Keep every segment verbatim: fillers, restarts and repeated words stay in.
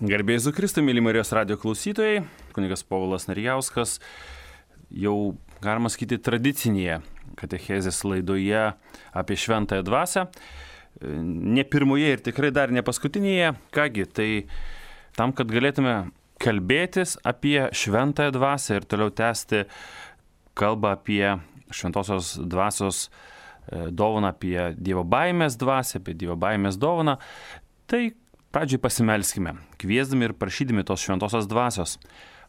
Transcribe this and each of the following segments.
Garbė Jėzui Kristui, mėly Marijos radijo klausytojai, kunigas Povilas Narijauskas, jau galima sakyti tradicinėje katechezės laidoje apie šventąją dvasią, ne pirmoje ir tikrai dar ne paskutinėje. Kągi, tai tam, kad galėtume kalbėtis apie šventąją dvasią ir toliau tęsti kalbą apie šventosios dvasios dovaną, apie Dievo baimės dvasią, apie Dievo baimės dovaną, tai pradžiai pasimelskime, kviesdami ir prašydami tos šventosios dvasios,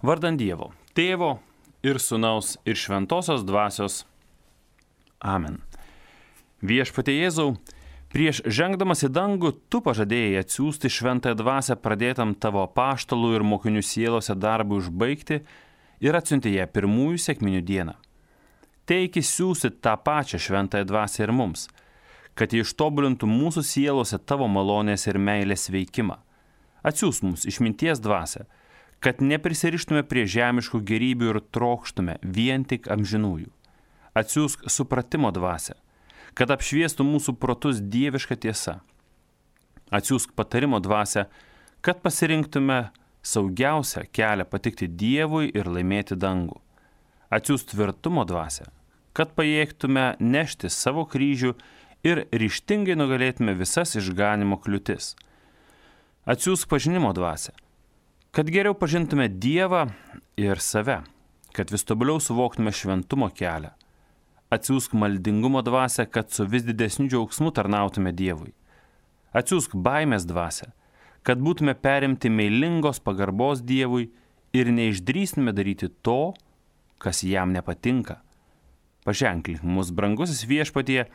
vardan Dievo, Tėvo ir Sūnaus ir šventosios dvasios. Amen. Viešpatie Jėzau, prieš žengdamas į dangų, tu pažadėjai atsiųsti šventąją dvasią pradėtam tavo apaštalų ir mokinių sielose darbui užbaigti ir atsiuntė ją pirmųjų sekminių dieną. Teiki siųsti tą pačią šventąją dvasią ir mums, kad jie ištobulintų mūsų sielose tavo malonės ir meilės veikimą. Atsiųsk mums išminties dvasią, kad neprisirištume prie žemiškų gerybių ir trokštume vien tik amžinųjų. Atsiųsk supratimo dvasią, kad apšviestų mūsų protus dieviška tiesa. Atsiųsk patarimo dvasią, kad pasirinktume saugiausią kelią patikti Dievui ir laimėti dangų. Atsiųsk tvirtumo dvasią, kad pajėgtume nešti savo kryžių ir ryžtingai nugalėtume visas išganimo kliūtis. Atsiųsk pažinimo dvasią, kad geriau pažintume Dievą ir save, kad vis tobuliau suvoktume šventumo kelią. Atsiųsk maldingumo dvasią, kad su vis didesniu džiaugsmu tarnautume Dievui. Atsiųsk baimės dvasią, kad būtume perimti meilingos pagarbos Dievui ir neišdrįstume daryti to, kas jam nepatinka. Paženklink mus, brangusis Viešpatie,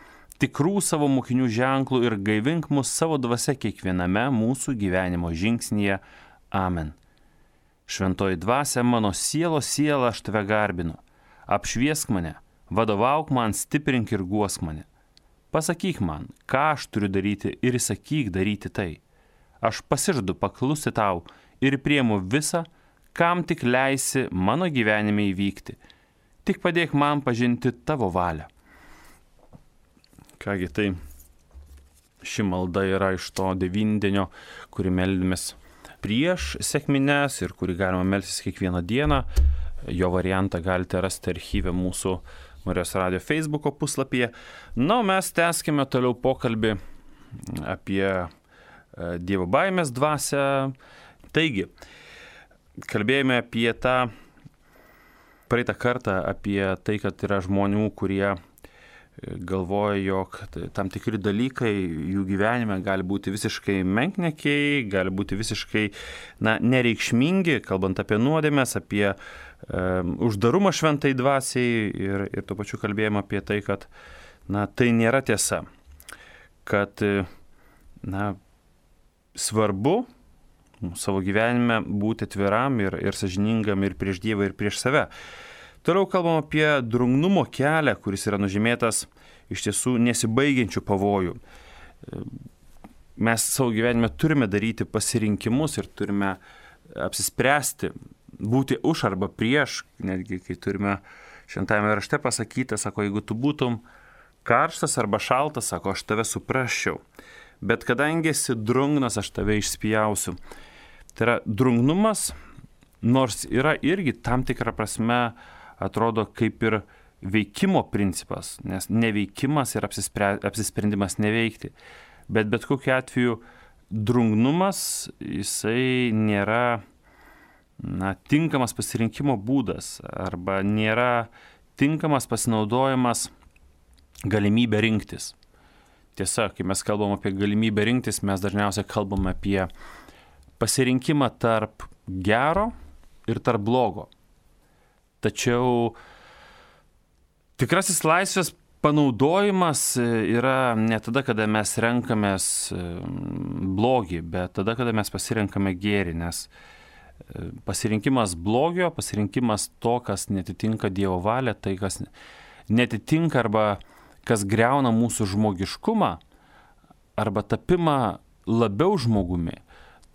tikrų savo mokinių ženklų ir gaivink mus savo dvasia kiekviename mūsų gyvenimo žingsnyje. Amen. Šventoji dvasia, mano sielos siela, aš tave garbinu. Apšviesk mane, vadovauk man, stiprink ir guosk mane. Pasakyk man, ką aš turiu daryti ir įsakyk daryti tai. Aš pasižadu paklusti tau ir priimu visą, kam tik leisi mano gyvenime įvykti. Tik padėk man pažinti tavo valią. Kągi, tai ši malda yra iš to devyndienio, kurį meldėmės prieš sekmines ir kurį galima melstis kiekvieną dieną. Jo variantą galite rasti archyve mūsų Marijos radijo Facebooko puslapyje. Na, o mes tęskime toliau pokalbį apie Dievo baimės dvasią. Taigi, kalbėjome apie tą praeitą kartą, apie tai, kad yra žmonių, kurie galvoja, jog tam tikri dalykai jų gyvenime gali būti visiškai menkniekiai, gali būti visiškai na, nereikšmingi, kalbant apie nuodėmes, apie um, uždarumą šventai dvasiai ir, ir tuo pačiu kalbėjome apie tai, kad na, tai nėra tiesa, kad na, svarbu savo gyvenime būti atviram ir, ir sąžiningam ir prieš Dievą, ir prieš save. Toliau kalbam apie drungnumo kelią, kuris yra nužymėtas iš tiesų nesibaigiančių pavojų. Mes savo gyvenime turime daryti pasirinkimus ir turime apsispręsti, būti už arba prieš, netgi kai turime šventajame rašte pasakyta, sako, jeigu tu būtum karštas arba šaltas, sako, aš tave suprasčiau, bet kadangi esi drungnas, aš tave išspjausiu. Tai yra drungnumas, nors yra irgi tam tikrą prasme atrodo kaip ir veikimo principas, nes neveikimas ir apsisprendimas neveikti. Bet bet kokiu atveju drungnumas, jisai nėra na, tinkamas pasirinkimo būdas arba nėra tinkamas pasinaudojimas galimybę rinktis. Tiesa, kai mes kalbam apie galimybę rinktis, mes dažniausiai kalbam apie pasirinkimą tarp gero ir tarp blogo. Tačiau tikrasis laisvės panaudojimas yra ne tada, kada mes renkamės blogį, bet tada, kada mes pasirenkame gėrį, nes pasirinkimas blogio, pasirinkimas to, kas netitinka Dievo valią, tai kas netitinka arba kas greuna mūsų žmogiškumą, arba tapimą labiau žmogumi,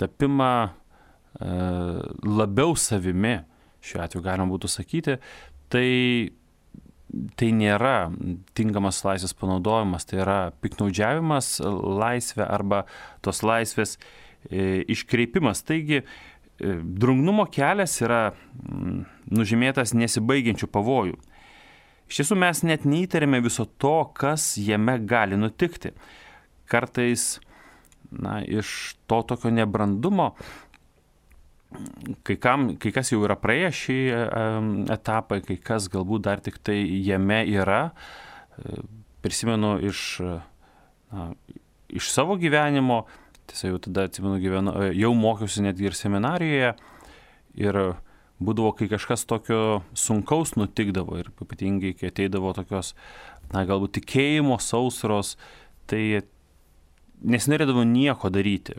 tapimą e, labiau savimi, šiuo atveju galima būtų sakyti, tai, tai nėra tinkamas laisvės panaudojimas, tai yra piknaudžiavimas laisvę arba tos laisvės iškreipimas. Taigi, drungnumo kelias yra nužymėtas nesibaigiančių pavojų. Iš tiesų mes net neįtarėme viso to, kas jame gali nutikti. Kartais, na, iš to tokio nebrandumo, kai, kam, kai kas jau yra praėję šį etapą, kai kas galbūt dar tik tai jame yra. Prisimenu iš, na, iš savo gyvenimo, tiesa jau tada atsimenu, gyvenu, jau mokiausi netgi ir seminarijoje ir būdavo, kai kažkas tokio sunkaus nutikdavo ir ypatingai, kai ateidavo tokios, na, galbūt tikėjimo sausros, tai nesinorėdavo nieko daryti.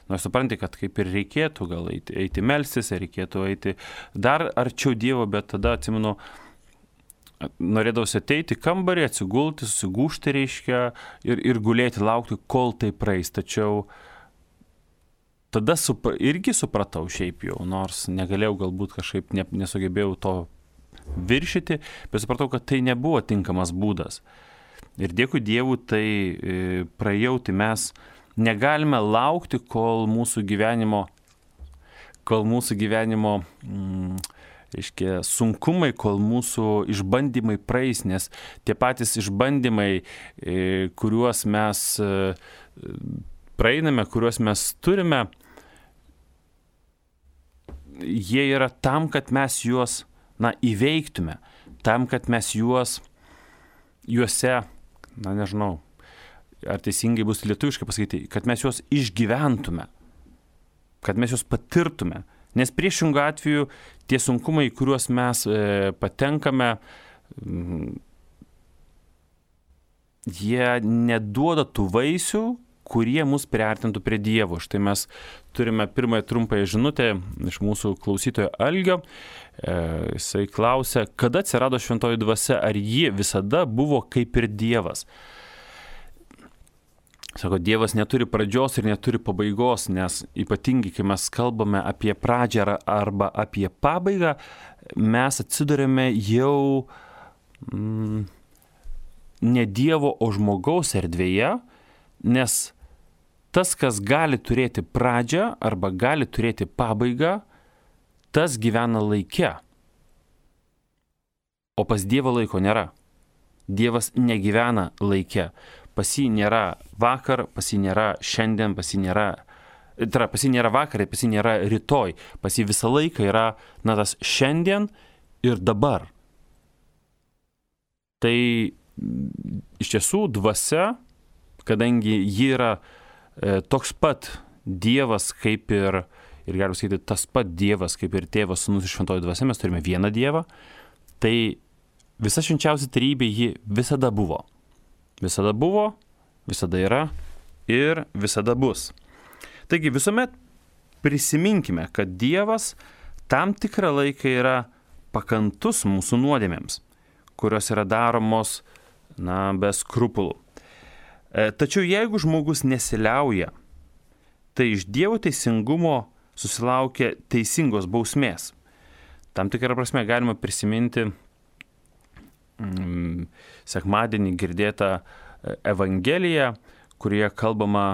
Nors supranti, kad kaip ir reikėtų gal eiti, eiti melstis, reikėtų eiti dar arčiau Dievo, bet tada, atsimenu, norėdavosi ateiti kambarį, atsigulti, susigūžti reiškia ir, ir gulėti, laukti, kol tai praeis. Tačiau tada supra, irgi supratau šiaip jau, nors negalėjau galbūt kažkaip ne, nesugebėjau to viršyti, bet supratau, kad tai nebuvo tinkamas būdas. Ir dėkui Dievui, tai e, praėjau, tai mes negalime laukti, kol mūsų gyvenimo, kol mūsų gyvenimo mm, reiškia, sunkumai, kol mūsų išbandymai praeis, nes tie patys išbandymai, e, kuriuos mes e, praeiname, kuriuos mes turime, jie yra tam, kad mes juos, na, įveiktume, tam, kad mes juos, juose, na, nežinau, ar teisingai bus lietuviškai pasakyti, kad mes juos išgyventume, kad mes juos patirtume. Nes priešingų atveju tie sunkumai, kuriuos mes e, patenkame, m, jie neduoda tų vaisių, kurie mus priartintų prie Dievo. Štai mes turime pirmąją trumpąją žinutę iš mūsų klausytojo Algio. E, jisai klausia, kada atsirado šventoji dvasia, ar ji visada buvo kaip ir Dievas? Sako, Dievas neturi pradžios ir neturi pabaigos, nes ypatingai, kai mes kalbame apie pradžią arba apie pabaigą, mes atsidurėme jau mm, ne Dievo, o žmogaus erdvėje, nes tas, kas gali turėti pradžią arba gali turėti pabaigą, tas gyvena laike. O pas Dievą laiko nėra. Dievas negyvena laike. Pas jį nėra vakar, pas jį nėra šiandien, pas jį nėra, tai yra, pas jį nėra vakar, pas jį nėra rytoj. Pas jį visą laiką yra, na, tas šiandien ir dabar. Tai iš tiesų dvasia, kadangi ji yra e, toks pat Dievas kaip ir, ir galima sakyti, tas pat Dievas kaip ir Tėvas, Sūnus ir Šventoji Dvasia, mes turime vieną Dievą, tai visa švenčiausia trejybė ji visada buvo. Visada buvo, visada yra ir visada bus. Taigi visuomet prisiminkime, kad Dievas tam tikrą laiką yra pakantus mūsų nuodėmėms, kurios yra daromos, na, be skrupulų. E, tačiau jeigu žmogus nesiliauja, tai iš Dievo teisingumo susilaukia teisingos bausmės. Tam tikrą prasme galima prisiminti mm, sekmadienį girdėtą Evangeliją, kurioje kalbama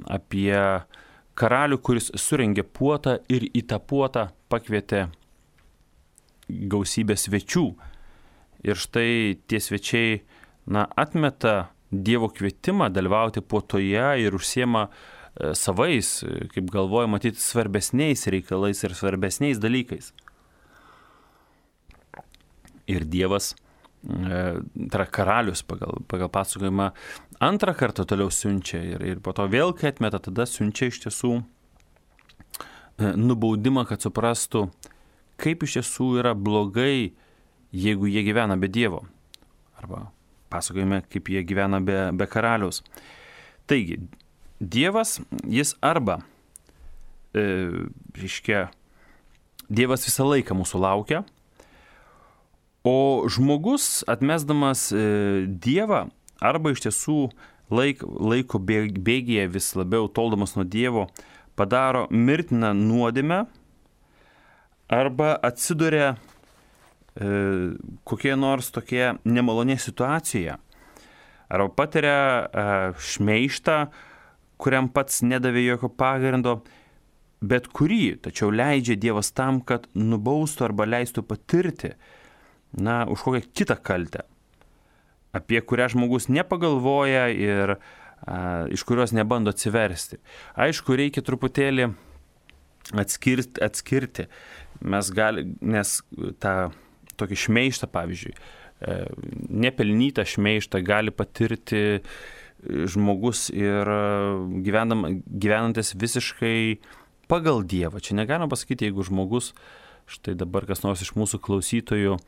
apie karalių, kuris surengė puotą ir į tą puotą pakvietė gausybę svečių. Ir štai tie svečiai, na, atmeta Dievo kvietimą dalyvauti puotoje ir užsiema e, savais, kaip galvoja, matyti svarbesniais reikalais ir svarbesniais dalykais. Ir Dievas, e, tai yra karalius pagal, pagal pasakojimą, antrą kartą toliau siunčia ir, ir po to vėl, kai atmeta, tada siunčia iš tiesų e, nubaudimą, kad suprastų, kaip iš tiesų yra blogai, jeigu jie gyvena be Dievo. Arba pasakojame, kaip jie gyvena be, be karaliaus. Taigi, Dievas, jis arba, e, reiškia, Dievas visą laiką mūsų laukia, o žmogus, atmesdamas e, Dievą, arba iš tiesų laik, laiko bėgyje vis labiau toldamas nuo Dievo, padaro mirtiną nuodėmę, arba atsiduria e, kokie nors tokie nemalonė situacijoje, arba patiria e, šmeižtą, kuriam pats nedavė jokio pagrindo, bet kurį, tačiau leidžia Dievas tam, kad nubaustų arba leistų patirti, na, už kokią kitą kaltę, apie kurią žmogus nepagalvoja ir a, iš kurios nebando atsiversti. Aišku, reikia truputėlį atskirti, atskirti. Mes gali, nes tą tokį šmeištą, pavyzdžiui, nepelnytą šmeištą gali patirti žmogus ir gyvenam, gyvenantis visiškai pagal Dievą. Čia negalima pasakyti, jeigu žmogus, štai dabar kas nors iš mūsų klausytojų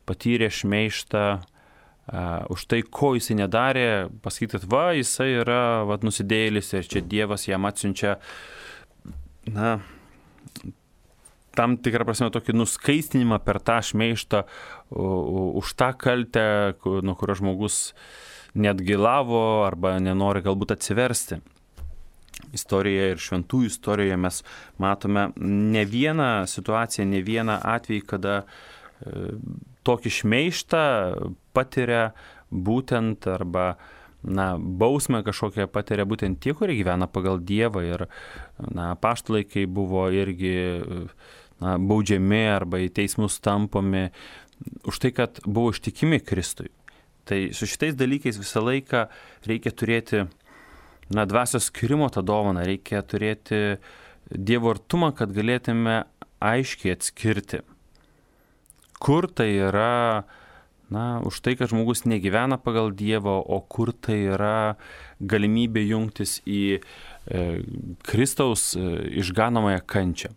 patyrė šmeištą uh, už tai, ko jisai nedarė, pasakyti, kad va, jisai yra va, nusidėjėlis ir čia Dievas jam atsiunčia, na, tam tikrą prasme tokį nuskaistinimą per tą šmeištą už tą kaltę, nuo kurio žmogus neatgailavo arba nenori galbūt atsiversti. Istorijoje ir šventųjų istorijoje mes matome ne vieną situaciją, ne vieną atvejį, kada tokį šmeištą patiria būtent arba na, bausmę kažkokią patiria būtent tie, kurie gyvena pagal Dievą ir na, apaštalai, kai buvo irgi na, baudžiami arba į teismus tampomi už tai, kad buvo ištikimi Kristui. Tai su šitais dalykais visą laiką reikia turėti na, dvasios skyrimo tą dovaną, reikia turėti Dievo artumą, kad galėtume aiškiai atskirti, kur tai yra na, už tai, kad žmogus negyvena pagal Dievą, o kur tai yra galimybė jungtis į e, Kristaus e, išganomąją kančią.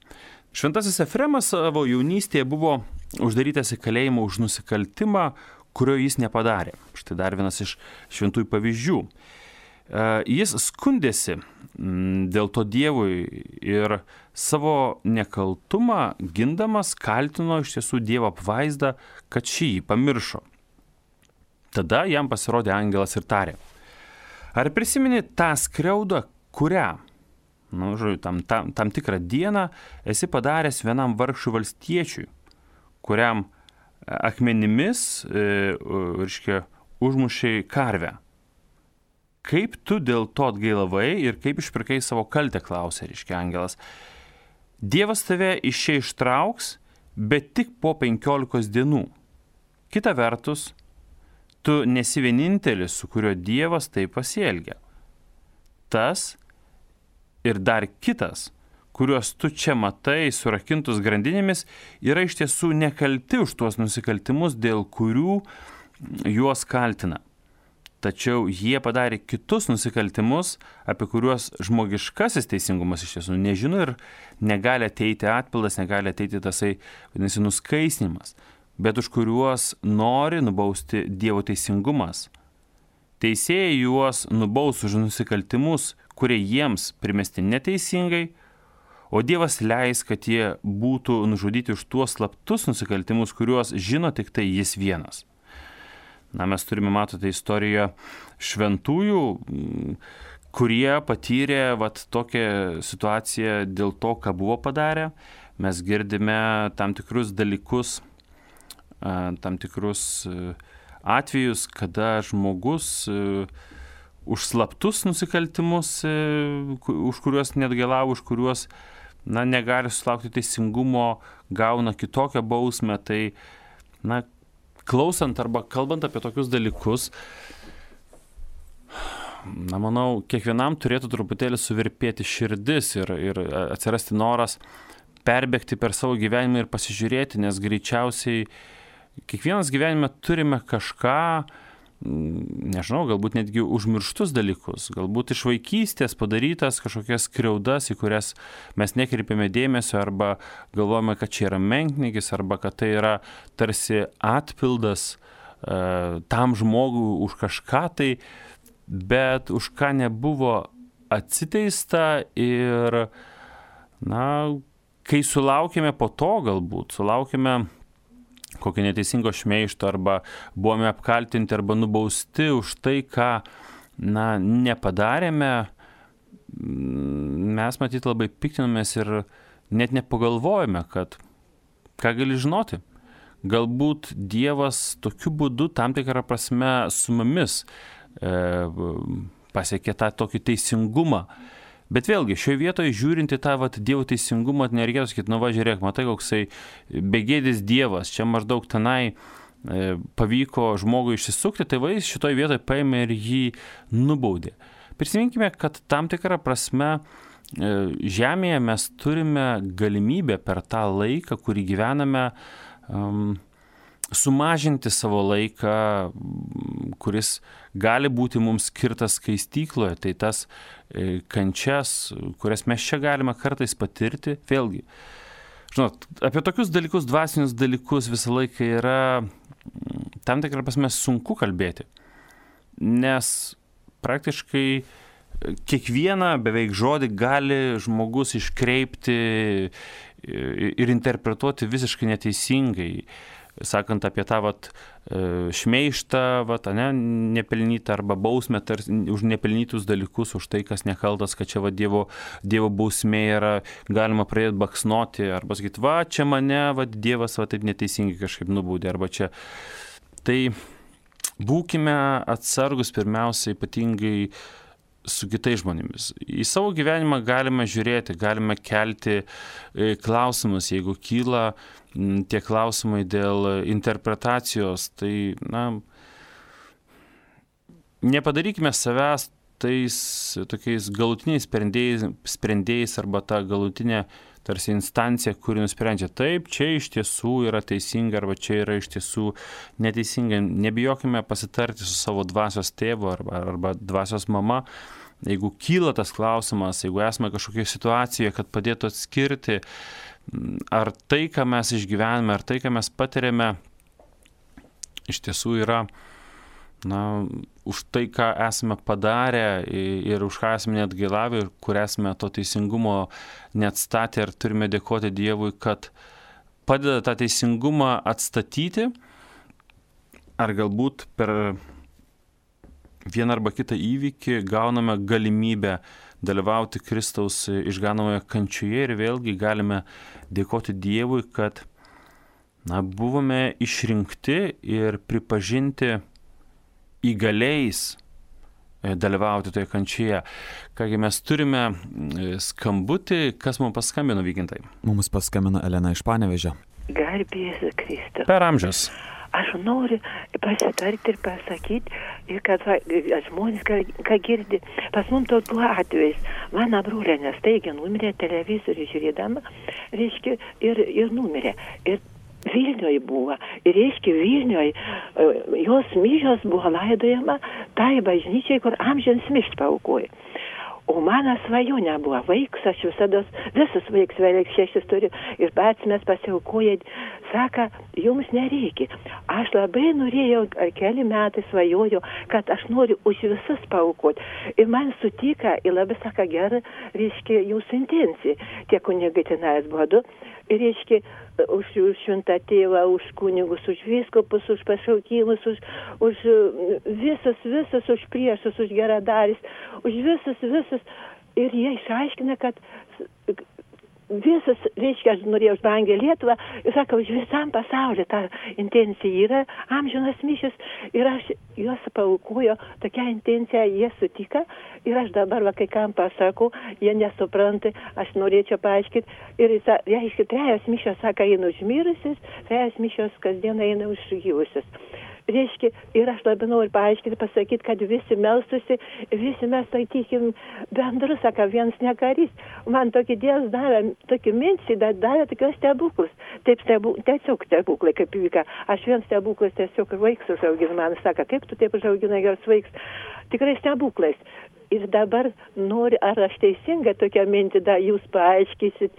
Šventasis Efremas savo jaunystėje buvo uždarytas į kalėjimą už nusikaltimą, kurio jis nepadarė. Štai dar vienas iš šventųjų pavyzdžių. E, jis skundėsi m, dėl to Dievui ir savo nekaltumą gindamas kaltino iš tiesų Dievo apvaizdą, kad šį jį pamiršo. Tada jam pasirodė angelas ir tarė: ar prisimeni tą skriaudą, kurią, nu, žodžiu, tam, tam, tam tikrą dieną esi padaręs vienam vargšui valstiečiui, kuriam akmenimis, e, reiškia, užmušei karvę. Kaip tu dėl to atgailavai ir kaip išpirkai savo kaltę, klausė, reiškia, angelas. Dievas tave iš čia ištrauks, bet tik po penkiolikos dienų. Kita vertus, tu nesi vienintelis, su kuriuo Dievas taip pasielgia. Tas ir dar kitas, kuriuos tu čia matai surakintus grandinėmis, yra iš tiesų nekalti už tuos nusikaltimus, dėl kurių juos kaltina. Tačiau jie padarė kitus nusikaltimus, apie kuriuos žmogiškasis teisingumas iš tiesų nežino ir negali ateiti atpildas, negali ateiti tasai, vadinasi, nuskaisnimas, bet už kuriuos nori nubausti Dievo teisingumas. Teisėjai juos nubaus už nusikaltimus, kurie jiems primesti neteisingai, o Dievas leis, kad jie būtų nužudyti už tuos slaptus nusikaltimus, kuriuos žino tik tai jis vienas. Na, mes turime, matote, istoriją šventųjų, kurie patyrė vat, tokią situaciją dėl to, ką buvo padarę. Mes girdime tam tikrus dalykus, tam tikrus atvejus, kada žmogus už slaptus nusikaltimus, už kuriuos neatgailavo, už kuriuos na, negali sulaukti teisingumo, gauna kitokią bausmę. Tai, na, klausant arba kalbant apie tokius dalykus, na, manau, kiekvienam turėtų truputėlį suvirpėti širdis ir, ir atsirasti noras perbėgti per savo gyvenimą ir pasižiūrėti, nes greičiausiai kiekvienas gyvenime turime kažką, nežinau, galbūt netgi užmirštus dalykus, galbūt iš vaikystės padarytas kažkokias skriaudas, į kurias mes nekreipiame dėmesio arba galvojame, kad čia yra menkniekis arba kad tai yra tarsi atpildas e, tam žmogui už kažką tai, bet už ką nebuvo atsiteista ir, na, kai sulaukėme po to galbūt, sulaukėme kokio neteisingo šmeišto arba buvome apkaltinti arba nubausti už tai, ką, na, nepadarėme, mes matyt labai piktinamės ir net nepagalvojame, kad ką gali žinoti. Galbūt Dievas tokiu būdu tam tikrą prasme su mumis e, pasiekė tą tokį teisingumą. Bet vėlgi, šioje vietoje žiūrint į tą vat, Dievo teisingumą, nereikėtų sakyti, nu va, žiūrėk, matai, koksai begėdis Dievas, čia maždaug tenai e, pavyko žmogui išsisukti, tai va, jis šitoje vietoje paėmė ir jį nubaudė. Prisiminkime, kad tam tikrą prasme e, žemėje mes turime galimybę per tą laiką, kurį gyvename, um, sumažinti savo laiką, kuris gali būti mums skirtas skaistykloje, tai tas e, kančias, kurias mes čia galime kartais patirti, vėlgi. Žinot, apie tokius dalykus, dvasinius dalykus visą laiką yra tam tikrą prasme sunku kalbėti, nes praktiškai kiekvieną beveik žodį gali žmogus iškreipti ir interpretuoti visiškai neteisingai. Sakant apie tą vat, šmeištą, vat, ne, nepelnytą arba bausmę tar, už nepelnytus dalykus, už tai, kas nekaltas, kad čia va, dievo, dievo bausmė yra, galima pradėti baksnoti arba sakyti, va, čia mane va, Dievas va, taip neteisingai kažkaip nubaudė, arba čia. Tai būkime atsargus pirmiausia ypatingai su kitais žmonėmis. Į savo gyvenimą galime žiūrėti, galime kelti klausimus, jeigu kyla tie klausimai dėl interpretacijos, tai, na, nepadarykime savęs tais tokiais galutiniais sprendėjais, sprendėjais arba ta galutinė tarsi instancija, kuri nusprendžia, taip, čia iš tiesų yra teisinga arba čia yra iš tiesų neteisinga. Nebijokime pasitarti su savo dvasios tėvu arba, arba dvasios mama. Jeigu kyla tas klausimas, jeigu esame kažkokioje situacijoje, kad padėtų atskirti, ar tai, ką mes išgyvename, ar tai, ką mes patiriame, iš tiesų yra, na, už tai, ką esame padarę ir už ką esame neatgailavę ir kur esame to teisingumo neatstatę ir turime dėkoti Dievui, kad padeda tą teisingumą atstatyti, ar galbūt per vieną arba kitą įvykį gauname galimybę dalyvauti Kristaus išganomoje kančioje ir vėlgi galime dėkoti Dievui, kad, na, buvome išrinkti ir pripažinti įgaliais dalyvauti toje kančioje. Kągi mes turime skambutį, kas mums paskambino, Vygintai? Mums paskambino Elena iš Panevėžio. Garbės Kristus. Per amžius. Aš noriu pasitarti ir pasakyti, kad va, žmonės, ką, ką girdi, pas mums tokiu atvejais, mano brolė nestaigia numirė televizorių žiūrėdama, reiškia, ir, ir numirė. Ir Vilniuje buvo. Ir reiškia, Vilniuje jos mišios buvo laidojama tai bažnyčiai, kur amžiams mišt paaukoja. O mano svajonė buvo vaiks, aš visada, visus vaiks vėliau šešis turiu ir pats mes pasiaukojai, saka, jums nereikia. Aš labai norėjau, keli metai svajoju, kad aš noriu už visus paaukoti. Ir man sutika, ir labai saka, gerai, reiškia, jūsų intencija. Tie kunigai tenais buvo du. Ir reiškia, už, už šventą tėvą, už kunigus, už vyskupus, už pašaukimus, už, už visus, visus, už priešus, už geradaris, už visus, visus. Ir jie išaiškina, kad visas, reiškia, aš norėjau užbangę Lietuvą, ir sakau, už visam pasauliu ta intencija yra amžinas mišius, ir aš juos paaukojo, tokia intencija jie sutika, ir aš dabar, va, kai kam pasakau, jie nesupranta, aš norėčiau paaiškinti, ir jis, reiškia, trejos mišios, sako, eina už mirusius, trejos mišios kasdien eina už gyvusius. Reiškia, ir aš labai noriu paaiškinti, pasakyti, kad visi melstusi, visi mes, sakykim, bendrus, sako, vienas nekarys. Man tokį Dievas davė, tokį mintį, davė tokios stebuklus. Taip, stebu, tiesiog stebuklai, kaip įvyka. Aš vien stebuklas tiesiog vaiks užauginu. Man sako, kaip tu taip užauginai geras vaiks? Tikrai stebuklais. Ir dabar noriu, ar aš teisingai tokią mintį, da, jūs paaiškysit,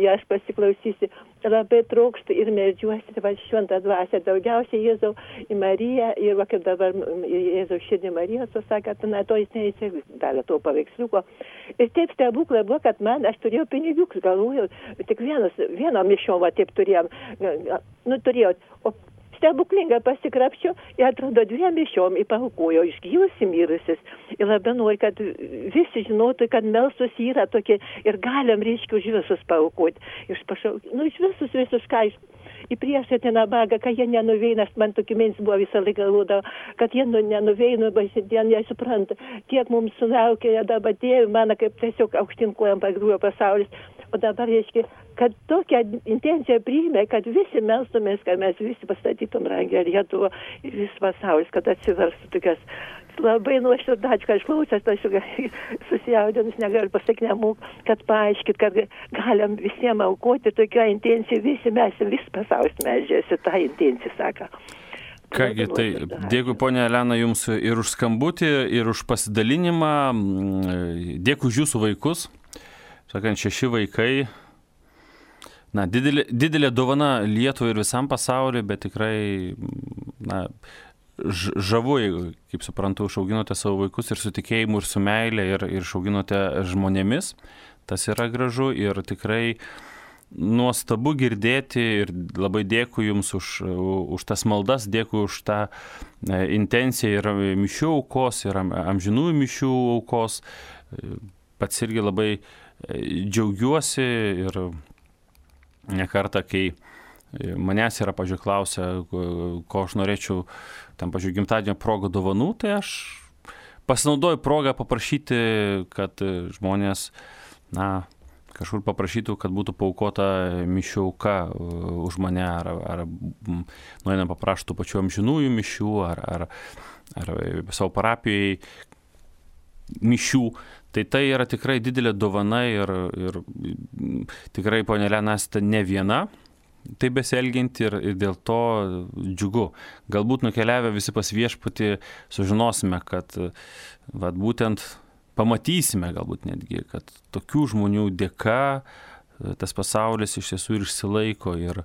ja, aš pasiklausysiu, labai trokštų ir meldžiuosi, va, šventą dvasią, daugiausiai Jėzau į Mariją, ir va, kaip dabar Jėzau širdį Marijos, pasakė, na, to jis neįsigavė to paveiksliuko. Ir taip stebuklai buvo, kad man, aš turėjau pinigiukus, galvojau, tik vienas, vieno mišom, va, taip turėjom, nu, turėjau, o stebuklingai pasikrapščiau ir atrodo dviem mišiom įpaukojo iš gyvus į mirusius. Ir labai noriu, kad visi žinotų, kad melstus yra tokie ir galim, reiškia, už visus paukoti. Iš pašauk... Nu, iš visus, visus ką iš... į priešą ten nabagą, kad jie nenuveina, man tokia mintis buvo visą laiką galvodavo, kad jie nu, nenuveina, baisitien, jie supranta, kiek mums sulaukė dabar tėvų, mano kaip tiesiog aukštinkojam pagrūjo pasaulis. O dabar, reiškia, kad tokią intenciją priėmė, kad visi melstumės, kad mes visi pastatytum rangę Lietuvą ir vis pasaulis, kad atsiverstų tokias labai nuoširdžiai, kad aš klausęs, aš susijaudinus negaliu pasakyti nemūk, kad paaiškit, kad galim visiems aukoti tokią intenciją, visi mes, vis pasaulis medžiasi tą intenciją, sako. Kągi, tai dėkui, ponia Elena, jums ir už skambutį, ir už pasidalinimą, dėkui už jūsų vaikus. Sakant, šeši vaikai, na, didelė, didelė dovana Lietuvai ir visam pasauliu, bet tikrai, na, žavu, kaip suprantu, išauginote savo vaikus ir su tikėjimu, ir su meilė, ir, ir išauginote žmonėmis. Tas yra gražu ir tikrai nuostabu girdėti ir labai dėkui jums už, už tas maldas, dėkui už tą intenciją ir mišių aukos, ir amžinųjų mišių aukos. Pats irgi labai džiaugiuosi ir ne kartą, kai manęs yra, pažiūrėjau, klausia, ko aš norėčiau, tam, pažiūrėjau, gimtadienio progą dovanų, tai aš pasinaudoju progą paprašyti, kad žmonės, na, kažkur paprašytų, kad būtų paaukota mišių auka už mane, ar, ar nueinam papraštų pačių amžinųjų mišių, ar, ar, ar savo parapijai mišių. Tai tai yra tikrai didelė dovana ir, ir tikrai, ponia Elena, esate ne viena taip besielgianti ir, ir dėl to džiugu. Galbūt nukeliavę visi pas viešpatį sužinosime, kad vat, būtent pamatysime galbūt netgi, kad tokių žmonių dėka tas pasaulis iš tiesų ir išsilaiko. Ir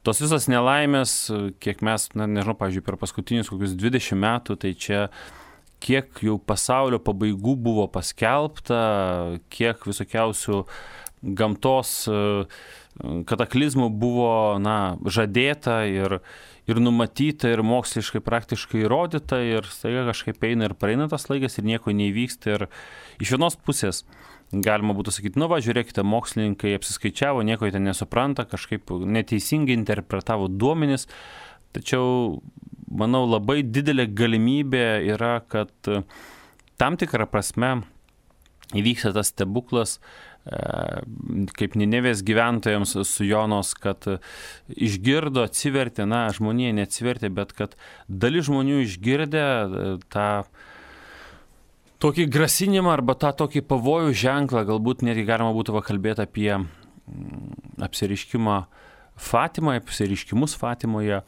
tos visas nelaimės, kiek mes, na, nežinau, pavyzdžiui, per paskutinius kokius dvidešimt metų, tai čia kiek jau pasaulio pabaigų buvo paskelbta, kiek visokiausių gamtos kataklizmų buvo, na, žadėta ir, ir numatyta ir moksliškai praktiškai įrodyta ir staiga kažkaip eina ir praeina tas laikas ir nieko neįvyksta. Ir iš vienos pusės galima būtų sakyti, nu va, žiūrėkite, mokslininkai apsiskaičiavo, nieko jie ten nesupranta, kažkaip neteisingai interpretavo duomenis, tačiau manau, labai didelė galimybė yra, kad tam tikrą prasme įvyksta tas stebuklas, kaip Ninevės gyventojams su Jonos, kad išgirdo, atsivertė, na, žmonija neatsivertė, bet kad dalis žmonių išgirdė tą tokį grasinimą arba tą tokį pavojų ženklą, galbūt netgi galima būtų kalbėti apie apsireiškimą Fatimoje, apsireiškimus Fatimoje,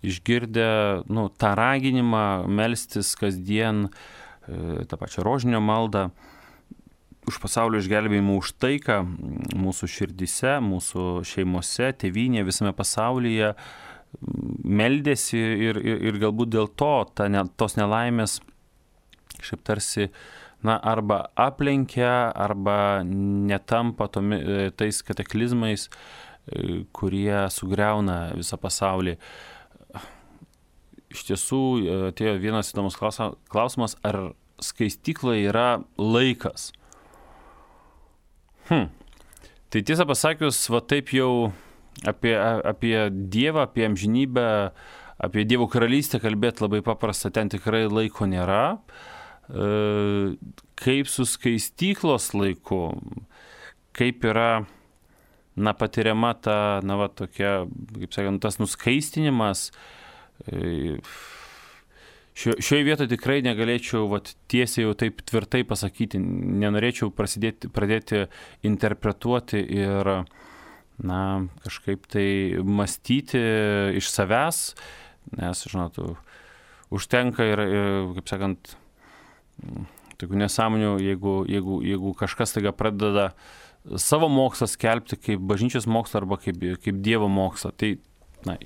išgirdę, nu, tą raginimą melstis kasdien, tą pačią rožinio maldą, už pasaulio išgelbėjimą, už taiką mūsų širdise, mūsų šeimose, tėvynėje, visame pasaulyje, meldėsi ir, ir, ir galbūt dėl to ta, ne, tos nelaimės šiaip tarsi, na, arba aplenkia, arba netampa tomi, tais kataklizmais, kurie sugriauna visą pasaulį. Iš tiesų, atėjo vienas įdomus klausimas, ar skaistykloje yra laikas? Hm. Tai tiesą pasakius, va taip jau apie, apie Dievą, apie amžinybę, apie Dievo karalystę kalbėti labai paprasta, ten tikrai laiko nėra. Kaip su skaistyklos laiku, kaip yra, na, patiriama ta, na, va, tokia, kaip sakant, tas nuskaistinimas. Šio, šioje vietoje tikrai negalėčiau vat, tiesiai jau taip tvirtai pasakyti, nenorėčiau prasidėti, pradėti interpretuoti ir, na, kažkaip tai mąstyti iš savęs, nes, žinot, užtenka ir, ir kaip sakant, tokių nesąmonių, jeigu, jeigu, jeigu kažkas taiga pradeda savo mokslą skelbti kaip bažnyčios mokslą arba kaip, kaip Dievo mokslą. Tai, na,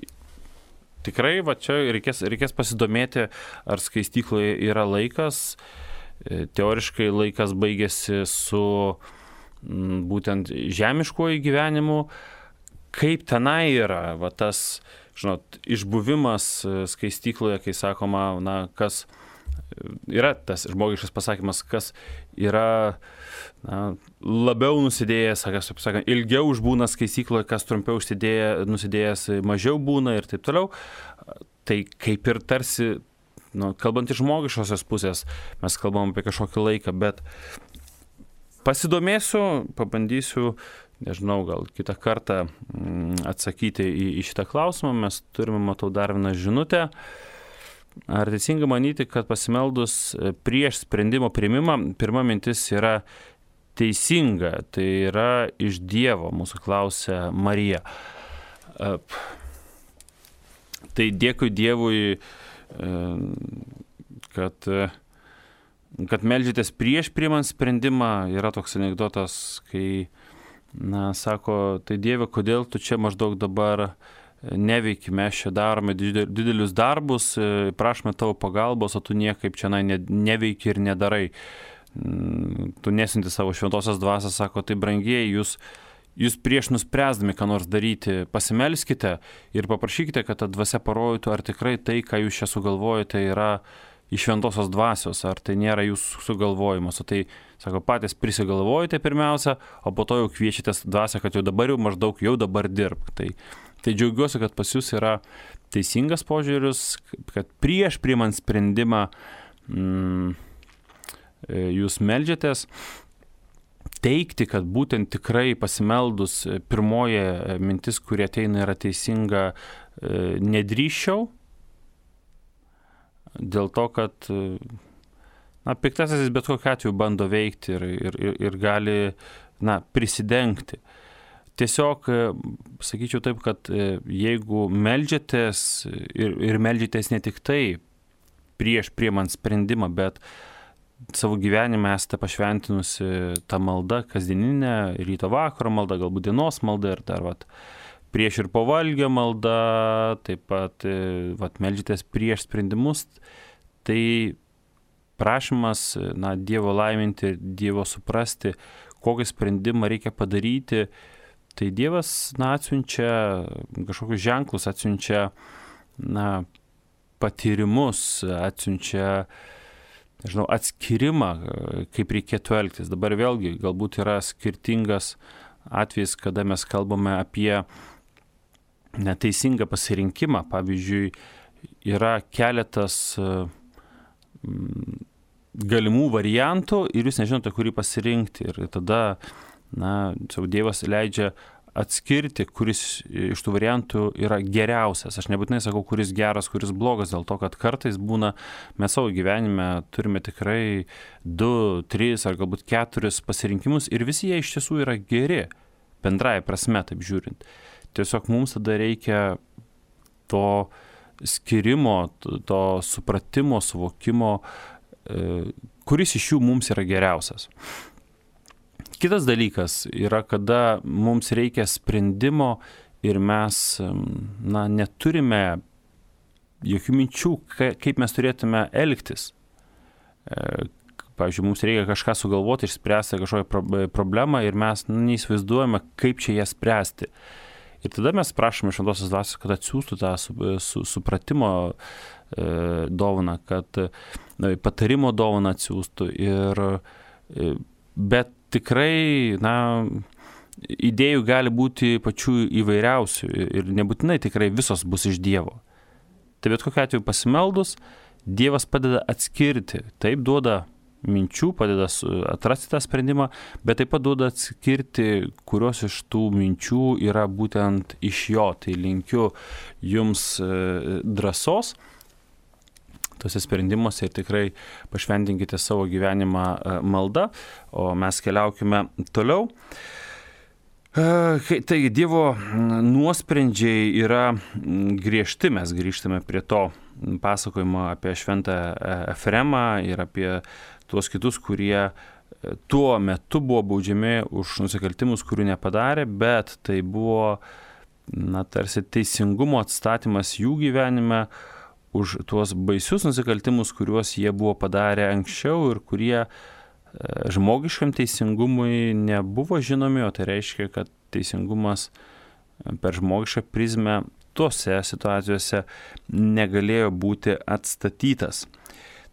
tikrai, va čia reikės, reikės pasidomėti, ar skaistykloje yra laikas. Teoriškai laikas baigėsi su m, būtent žemiškuoju gyvenimu. Kaip tenai yra, va tas, žinot, išbuvimas skaistykloje, kai sakoma, na, kas yra tas žmogiškas pasakymas, kas yra na, labiau nusidėjęs, kas, sakant, ilgiau užbūna skaistykloje, kas trumpiau užsidėję, nusidėjęs mažiau būna ir taip toliau. Tai kaip ir tarsi, nu, kalbant iš žmogiškosios pusės, mes kalbam apie kažkokį laiką, bet pasidomėsiu, pabandysiu, nežinau, gal kitą kartą atsakyti į, į šitą klausimą. Mes turime, matau, dar vieną žinutę. Ar teisinga manyti, kad pasimeldus prieš sprendimo priėmimą, pirma mintis yra teisinga, tai yra iš Dievo, mūsų klausia Marija. Tai dėkui Dievui, kad, kad meldžiatės prieš priimant sprendimą. Yra toks anekdotas, kai, na, sako, tai Dieve, kodėl tu čia maždaug dabar neveiki, mes čia darome didelius darbus, prašome tavo pagalbos, o tu niekaip čia ne, neveiki ir nedarai. Tu nesinti savo šventosios dvasios, sako, tai brangieji, jūs, jūs prieš nuspręsdami, ką nors daryti, pasimelskite ir paprašykite, kad ta dvasia parodytų, ar tikrai tai, ką jūs čia sugalvojate, yra iš šventosios dvasios, ar tai nėra jūsų sugalvojimas. O tai, sako, patys prisigalvojate pirmiausia, o po to jau kviečiatės dvasią, kad jau dabar jau maždaug jau dabar dirbk. Tai Tai džiaugiuosi, kad pas jūs yra teisingas požiūris, kad prieš priimant sprendimą mm, jūs meldžiatės. Teigti, kad būtent tikrai pasimeldus pirmoji mintis, kurie ateina, yra teisinga, nedrįsčiau. Dėl to, kad na, piktasis bet kokiu atveju bando veikti ir, ir, ir gali na, prisidengti. Tiesiog, sakyčiau taip, kad jeigu meldžiatės ir, ir meldžiatės ne tik tai prieš priimant sprendimą, bet savo gyvenime esate pašventinusi tą maldą, kasdieninę, ryto vakaro maldą, galbūt dienos maldą ir dar vat, prieš ir po valgio maldą, taip pat vat, meldžiatės prieš sprendimus, tai prašymas na, Dievo laiminti, Dievo suprasti, kokį sprendimą reikia padaryti. Tai Dievas na, atsiunčia kažkokius ženklus, atsiunčia na, patyrimus, atsiunčia nežinau, atskirimą, kaip reikėtų elgtis. Dabar vėlgi galbūt yra skirtingas atvejis, kada mes kalbame apie neteisingą pasirinkimą. Pavyzdžiui, yra keletas galimų variantų ir jūs nežinote, kurį pasirinkti. Ir tada na, Dievas leidžia atskirti, kuris iš tų variantų yra geriausias. Aš nebūtinai sakau, kuris geras, kuris blogas, dėl to, kad kartais būna, mes savo gyvenime turime tikrai du, tris ar galbūt keturis pasirinkimus ir visi jie iš tiesų yra geri, bendrąja prasme, taip žiūrint. Tiesiog mums tada reikia to skirimo, to supratimo, suvokimo, kuris iš jų mums yra geriausias. Kitas dalykas yra, kada mums reikia sprendimo ir mes na, neturime jokių minčių, kaip mes turėtume elgtis. Pavyzdžiui, mums reikia kažką sugalvoti, išspręsti kažkokią problemą ir mes nu, neįsivaizduojame, kaip čia ją spręsti. Ir tada mes prašome šventosios dvasios, kad atsiųstų tą su, su, supratimo e, dovaną, kad e, patarimo dovaną atsiųstų. Ir, e, bet tikrai, na, idėjų gali būti pačių įvairiausių ir nebūtinai tikrai visos bus iš Dievo. Tai bet kokiu atveju pasimeldus, Dievas padeda atskirti, taip duoda minčių, padeda atrasti tą sprendimą, bet taip pat duoda atskirti, kurios iš tų minčių yra būtent iš jo. Tai linkiu jums drąsos tose sprendimuose ir tikrai pašventinkite savo gyvenimą malda, o mes keliaukime toliau. Taigi, Dievo nuosprendžiai yra griežti, mes grįžtame prie to pasakojimo apie šventą Efremą ir apie tuos kitus, kurie tuo metu buvo baudžiami už nusikaltimus, kurių nepadarė, bet tai buvo na, tarsi teisingumo atstatymas jų gyvenime už tuos baisius nusikaltimus, kuriuos jie buvo padarę anksčiau ir kurie žmogiškam teisingumui nebuvo žinomi, o tai reiškia, kad teisingumas per žmogišką prizmę tose situacijose negalėjo būti atstatytas.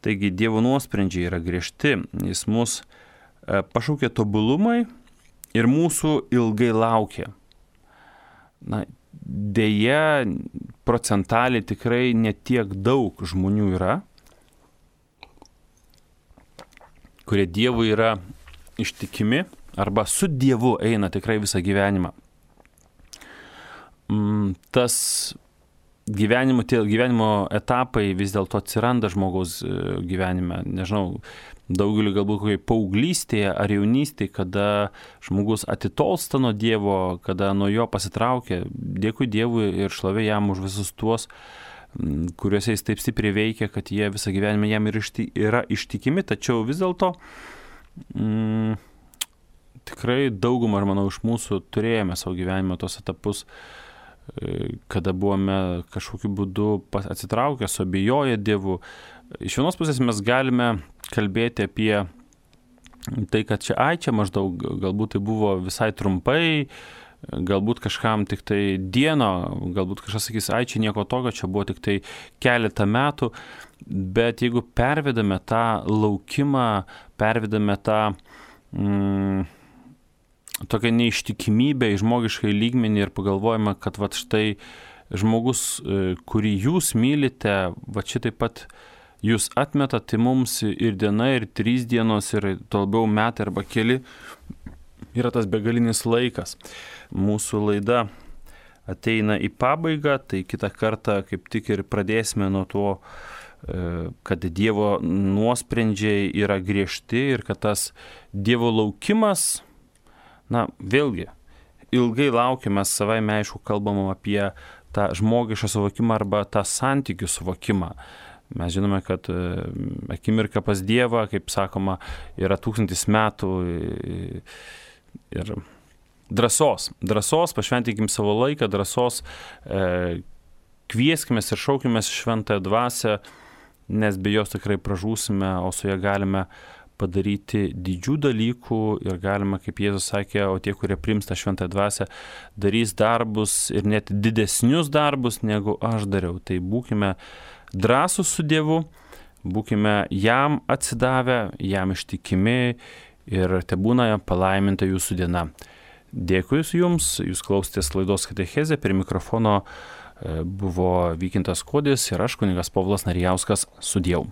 Taigi Dievo nuosprendžiai yra griežti, jis mus pašaukė tobulumai ir mūsų ilgai laukė. Na, deja, procentaliai tikrai netiek daug žmonių yra, kurie Dievui yra ištikimi arba su Dievu eina tikrai visą gyvenimą. Tas gyvenimo, tie gyvenimo etapai vis dėlto atsiranda žmogaus gyvenime. Nežinau, daugeliu galbūt kokiai paauglystėje ar jaunystėje, kada žmogus atitolsta nuo Dievo, kada nuo jo pasitraukia. Dėkui Dievui ir šlovė jam už visus tuos, kuriuose jis taip stipriai veikia, kad jie visą gyvenimą jam yra ištikimi, tačiau vis dėlto mm, tikrai daugumą, ar manau, iš mūsų turėjome savo gyvenime tos etapus, kada buvome kažkokiu būdu atsitraukę, suabejoję Dievu. Iš vienos pusės mes galime kalbėti apie tai, kad čia, ai, čia maždaug, galbūt tai buvo visai trumpai, galbūt kažkam tik tai dieno, galbūt kažkas sakys, ai, čia nieko tokio, čia buvo tik tai keletą metų, bet jeigu pervedame tą laukimą, pervedame tą mm, tokią neištikimybę į žmogiškai lygmenį ir pagalvojame, kad vat štai žmogus, kurį jūs mylite, va čia taip pat jūs atmeta, tai mums ir diena, ir trys dienos, ir to labiau metai arba keli yra tas begalinis laikas. Mūsų laida ateina į pabaigą, tai kitą kartą kaip tik ir pradėsime nuo to, kad Dievo nuosprendžiai yra griežti ir kad tas Dievo laukimas, na, vėlgi, ilgai laukiame, savaime aišku, kalbam apie tą žmogišką suvokimą arba tą santykių suvokimą. Mes žinome, kad akimirka pas Dievą, kaip sakoma, yra tūkstantis metų ir drąsos. Drąsos, pašventinkim savo laiką, drąsos, e, kvieskimės ir šaukimės šventąją dvasią, nes be jos tikrai pražūsime, o su ja galime padaryti didžių dalykų ir galima, kaip Jėzus sakė, o tie, kurie priims tą šventąją dvasią, darys darbus ir net didesnius darbus, negu aš dariau. Tai būkime drąsūs su Dievu, būkime jam atsidavę, jam ištikimi ir tebūna palaiminta jūsų diena. Dėkui jums, jūs klausėtės laidos Katechezė, prie mikrofono buvo Vykintas Kodis ir aš, kunigas Povilas Narijauskas, sudieu.